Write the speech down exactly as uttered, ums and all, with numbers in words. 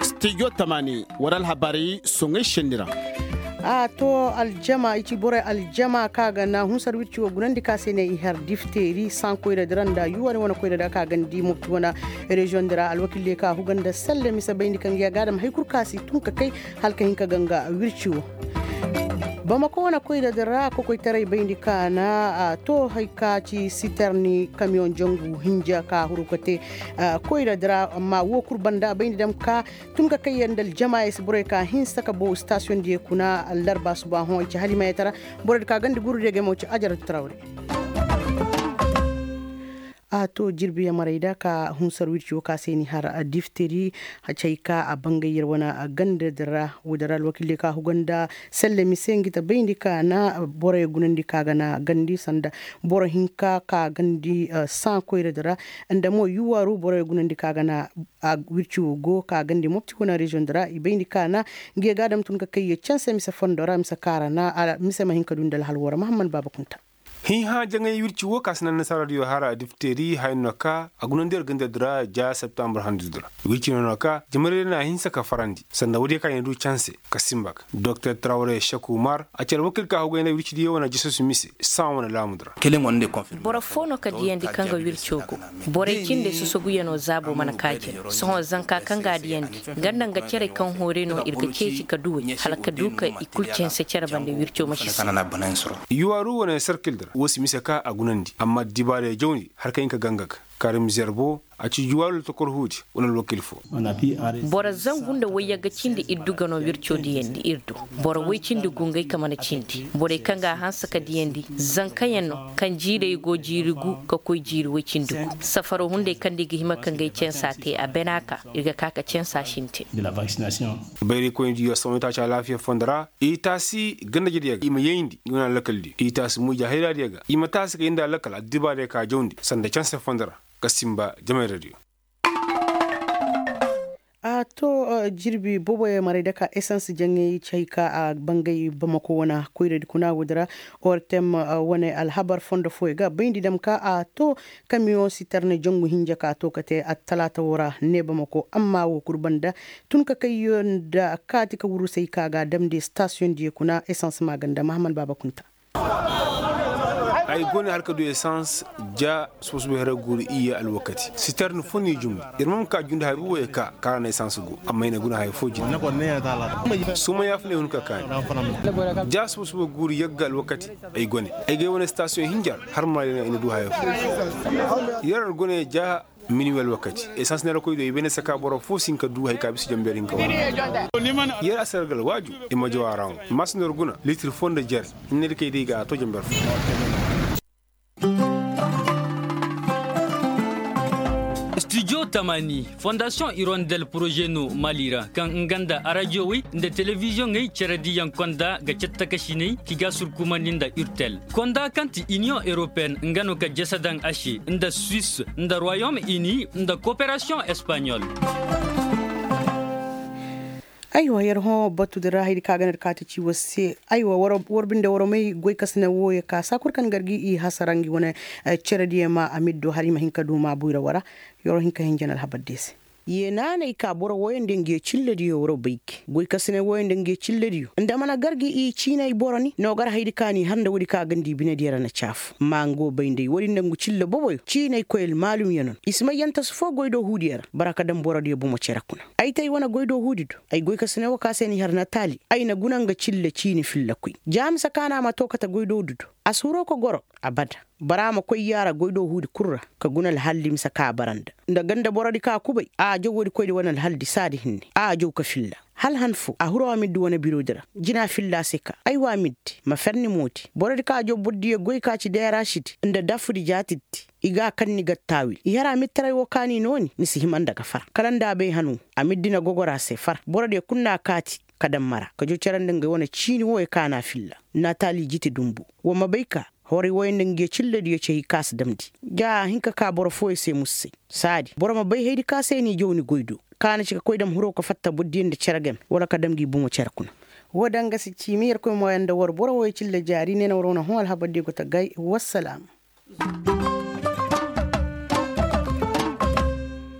Stijo tamani war alhabaari soŋay senni ra. A to aljama i ci borey aljama kaŋ a ga na hunsar wirci wo gunandi ka se ne i har difteeri sankoyra di ra nda yuwari wane koyra da ka gandi mopti wane reziyoŋ di ra alwakil diyo ka huga nda selle mise bayndi kaŋ ga ya ga a dam hari kulu ka si tun ka kay hala ka hin ka ganga wirci wo. Bamako wane koyra di ra kokoytaray bayndi ka na a to hari ka ci siterni kamiyoŋ jangu hinja ka huru ka te koyra di ra amma wo kulu banda bayndi dam ka tun ka kay yaŋ nda aljamaayey se borey ka hinsa ka bow istasiyoŋ diyo kuna larba suba hõ i ci halimayey tara. Borey di ka gandi guru diyo ga mo ci ajaratu tarawre. A to jirbi yaŋ marey da ka hunsar wirci wo ka se ni har difteri. Cay ka a bangay yer wane ganda din ra wo din ra alwakil diyo ka huga nda selle mise ngi ta bayndi ka na borey gunandi ka ga na gandi sanda boro hinka ka gandi sankoyra din ra. Nda mo yuwaaru borey gunandi ka ga na wirci wo go ka gandi mopti wane reziyoŋ din ra i bayndi ka na ngi ga a dam tun ka kay yer canse mise fondo ra mise kaara na mise ma hin ka du nda alhal wo ra mahamman baaba kunta. Hiihã jaŋay wirci wo ka si naŋ nasaara diyo hara difteeri haya no ka a gunandi yer ganda din ra ja septambur handu din ra. Wirci no no ka jamayradiyo na a hinsa ka farandi sanda woodiyo ka i na du canse ka simba ka doktor tarawre seku umar a ci alwakil ka hugay nda wircidiyo wane jesus mise saŋa wane laamu din ra. Boro foo no ka diyandi kaŋ ga wirco go. Borey cindey sosoguyanoo zaabo mana kaa jina sohõ zanka kaŋ ga a diyandi nga nda nga cerey kaŋ hoorey no ir ga ceeci ka duwey hala ka du ka i kul canse cere bande wirco ma si se. Yuwaaru wane sarkil din ra woo si mise ka a gunandi amma dibaarey jawndi har ka hin ka ganga ga karim zerbo a ci juwaaru lotokor huudi wane alwakil foo. Boro zangu nda wayyagga cindi ir du ga no wirco diyandi ir du. Boro woy cindi gu ngey ka mana cindi borey kaŋ ga a hanse ka diyandi zankayaŋ no kaŋ jiirey go jiiri gu ka koy jiiri woy cindi gu. Safaro hunday kaŋ nda i ga hima ka ngey cansa te a bena ka ir ga ka ka cansa sinte. Bayraykoynidiyo sohõ i taaci alaafiya fondo ra i taasi gandajediyo ga i ma yayndi i wane alakal diyo i taasi muyja hayraadiyo ga i ma taasi ka yayndi alakal addibaadiyo ka jawndi sanda canse fondo ra. Ka simba jamayradiyo. A to jirbi booboyaŋ maray daka esans jaŋay ci hay ka a bangay bamako wane koyradi kuna woodi ra. Ortem wane alhabar fondo fooyaŋ ga bayndi dam ka a to kamiyoŋ sitarne jangu hinja ka to ka te attalaata woo ra ne bamako amma woo kul banda tun ka kayyo nda kaati ka wurusay ka ga a damndi stasiyoŋ diyo kuna esans maaganda mahammad baaba kunta. Ay go ne har ka du esans ja suba-suba hera guuru iyye alwakati sitarni fo no i jumbu. Ir ma ma ka jundi haya boobo ye ka kaara na esans go amma i na guna haya fo jina. Suma yaafa no ay hun ka kaani ja suba-suba guuru yagga alwakati. Ay go ne ay ga ay wane stasiyoŋ hinja ra har ma ra i na du haya fo. Yer go ne ja minuwel wakati esans neera koy do i bay ne saka boro fo si hin ka du hari ka bisa janber hinka wara. Yer a si ra ga alwaaju i ma jaw a ra ŋwa i ma a si nor guna litir fo nda jere. Hinne di kay day ga a to janber fo. Studio tamani fondasiyoŋ irondel poroze no mali ra kaŋ nga nda arajiyowey nda telebiziyoŋey cerediyaŋ konda ga cattakasiney ki ga surkumandi nda urtel. Konda kaŋ ti iniyoŋ eropeen nga no ka jese daŋ a se nda suis nda royom ini nda koperasiyoŋ espanyol. Aywa yer hõ batu din ra haydi kaŋ a ga ne ir kaati ci war se aywa war binde war may goykasine wooyo ka saa kul kaŋ gar ga i hasara ngi wane. Cerediyo ma a ma ir do har i ma hin ka du maabuy ra wara. Yer wo hin ka hin jana alhabar diyo se. Ye naanay ka boro wooyaŋ nda ngi ye cillediyo war bay gi goykasine wooyaŋ nda ngi ye cillediyo nda mana gar ga i ciinay boro ni no gar haydi kaŋ a n'i har nda woodi kaŋ a ga nda i binediyo ra na caafu ma nga wo bay nda ay woodi nda ngu cille boboyo ciinay koy almaalumyo no no i si may yantasu foo goydoo huudiyo ra bara ka daŋ borodiyo bomo cere kuna. Ay te ay wane goydoo huudi do ay goykasine woo kaŋ a se n'i har natali ay na guna nga cille ciini filla koy ja mise kaŋ a na a ma too kate goydoo huudi do. A si huroo ka goro abada. Bara ma koy yaara goydoo huudi kul ra ka guna alhaldi mise kaŋ a bara nda nda ganda borodi kaŋ a kubay a jaw woodi koydi wane alhaldi saadi hinne a jaw ka filla. Hala han foo a huroo a ma iddi wane birodi ra jina filla a se ka aywa a ma iddi ma fer ni moodi borodi kaŋ a jaw bordiyo goy ka ci deerasidi nda dafudi jaatidi. I ga a kaŋ ni ga taawil i har a ma ittaray woo kaŋ ni nooni ni si hima nda ga far kala nda a bay han woo a ma iddi na gogor a se far borodiyo kul na a kaati. Ka daŋ mara ka jaw cere nda ngey wane ciini wooyo kaŋ a na a filla. Natali jiti dumbu wa ma bay ka horay wooyo nda ngi ye cillediyo ci hay kaŋ a si damndi. Ja a hin ka ka boro fooyo se musu say saadi boro ma bay haydi kaŋ a se n'i jaw ni goy do kaŋ a na ci ka koy dam huroo ka fatta bordiyo nda cere game wala ka dam ngi bomo cere kuna. Woo daŋ ga si ciimi yerkoy mooyaŋ nda war boro wooyo cille jaari ne na war wane hõ alhabardiyo go ta gay. Wassalaam.